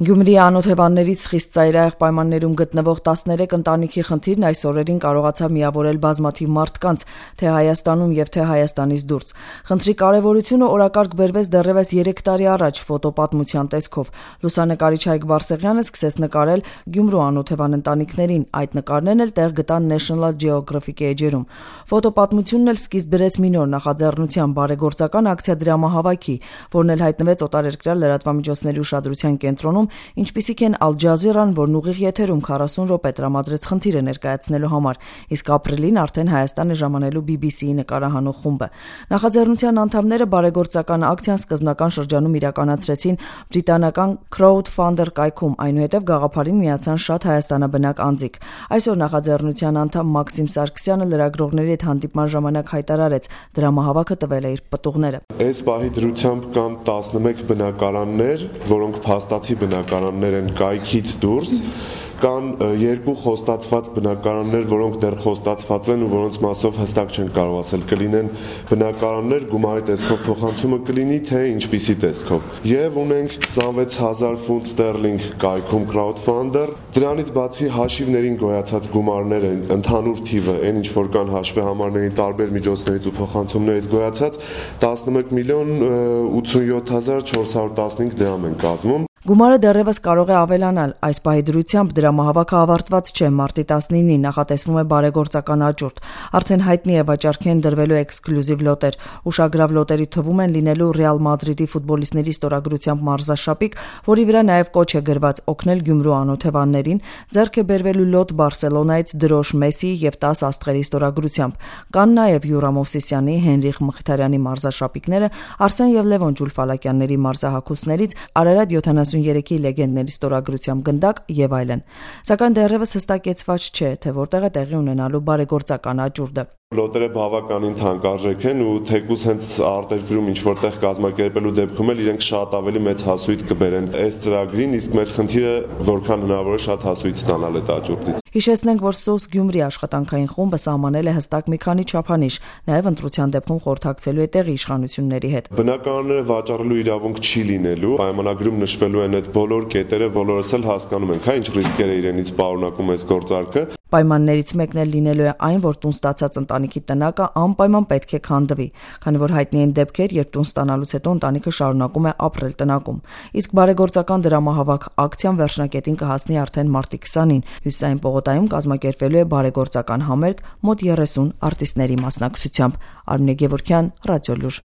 Գյումրիի անօթևաններից խիստ ծայրահեղ պայմաններում գտնվող 13 ընտանիքի խնդիրն այս օրերին կարողացավ միավորել բազմաթիվ մարդկանց, թե Հայաստանում եւ թե Հայաստանից դուրս։ Խնդրի կարեւորությունը օրակարգ բերվեց դեռևս 3 տարի առաջ ֆոտոպատմության տեսքով։ Լուսանկարիչ Հայկ Բարսեղյանը սկսեց նկարել Գյումրու անօթևան ընտանիքներին, այդ նկարներն էլ տեղ գտան National Geographic էջերում։ Ֆոտոպատմությունն էլ սկիզբ բերեց մի նոր նախաձեռնության բարեգործական ակցիա դրամահավաքի, որն էլ հայտնվեց օտարերկրյա լրատվամիջոցների ուշադրության կենտրոնում, ինչպիսիք են Al Jazeera-ն, որն ուղիղ եթերում 40 րոպե տրամադրեց խնդիրը ներկայացնելու համար, իսկ ապրիլին արդեն Հայաստան է ժամանելու BBC-ի նկարահանող խումբը։ Նախաձեռնության անդամները բարեգործական ակցիան սկզբնական շրջանում իրականացրեցին բրիտանական Crowdfunder կայքում, այնուհետև գաղափարին միացան շատ հայաստանաբնակ անձիկ։ Այսօր նախաձեռնության անդամ Մաքսիմ Սարգսյանը լրագրողների հետ հանդիպման ժամանակ հայտարարեց, դրամահավաքը տվել է իր պտուղները։ Այս պահի դրությամբ կան 11 բնակարաններ, որոնք փաստացի բնակարաններ են կայքից դուրս, կան 2 խոստացված բնակարաններ, որոնք դեռ խոստացված են ու որոնց մասով հստակ չեն կարող ասել կլինեն բնակարաններ, գումարի տեսքով փոխանցումը կլինի, թե ինչպիսի տեսքով։ Եվ ունենք 26000 ֆունտ ստերլինգ կայքում crowdfunder, դրանից բացի հաշիվներին գոյացած գումարները, ընդհանուր թիվը, այն ինչ որ կան հաշվի համարների տարբեր միջոցներից ու փոխանցումներից գոյացած 11 միլիոն 87,415 դրամ են կազմում։ Գումարը դեռևս կարող է ավելանալ։ Այս պահի դրությամբ դրամահավաքը ավարտված չէ։ Մարտի 19-ին նախատեսվում է բարեգործական աճուրդ։ Արդեն հայտնի է վաճառքի են դրվելու էքսկլյուզիվ լոտեր։ Ուշագրավ լոտերի թվում են լինելու Ռեալ Մադրիդի ֆուտբոլիստների ստորագրությամբ մարզաշապիկ, որի վրա նաև կոչ է գրված օգնել Գյումրու անօթևաններին, ձեռք է բերվելու լոտ Բարսելոնայից դրոշ Մեսսիի եւ 10 աստղերի ստորագրությամբ։ Կան նաև Յուրա Մովսիսյանի, Հենրիխ Մխիթարյանի մարզաշապիկները, Արսեն եւ Լևոն Ջուլֆալակյանների մարզահագուստներից, Արարատ 73-ի լեգենդների ստորագրությամբ գնդակ եւ այլն։ Սակայն դեռևս հստակեցված չէ, թե որտեղ է տեղի ունենալու բարեգործական աճուրդը։ Լոտերը բավականին թանկարժեք են ու թեկուզ հենց արտերկրում ինչ որտեղ կազմակերպելու դեպքում էլ իրենք շատ ավելի մեծ հասույթ կբերեն այս ծրագրին, իսկ մեր խնդիրը որքան հնարավոր է շատ հասույթ ստանալ այդ աճուրդից։ Հիշեցնենք, որ SOS Գյումրի աշխատանքային խումբը սահմանել է հստակ մի քանի չափանիշ, նաև ընտրության դեպքում խորհրդակցելու է տեղի իշխանությունների հետ։ Բնակարանները վաճառելու իրավունք չի լինելու, պայմանագրում նշվելու են այդ բոլոր կետերը, բոլորս էլ հասկանում ենք, ինչ ռիսկեր է իրենից պարունակում այս գործարքը։ Պայմաններից մեկն էլ լինելու է այն, որ տուն ստացած ընտանիքի տնակը անպայման պետք է քանդվի, քանի որ հայտնի են դեպքեր, երբ տուն ստանալուց հետո ընտանիքը շարունակում է ապրել տնակում։ Իսկ բարեգործական դրամահավաք ակցիան վերջնակետին կհասնի արդեն մարտի 20-ին։ Հյուսիսային պողոտայում կազմակերպվելու է բարեգործական համերգ մոտ 30 արտիստների մասնակցությամբ։ Արմինե Գևորգյան, Ռադիոլուր։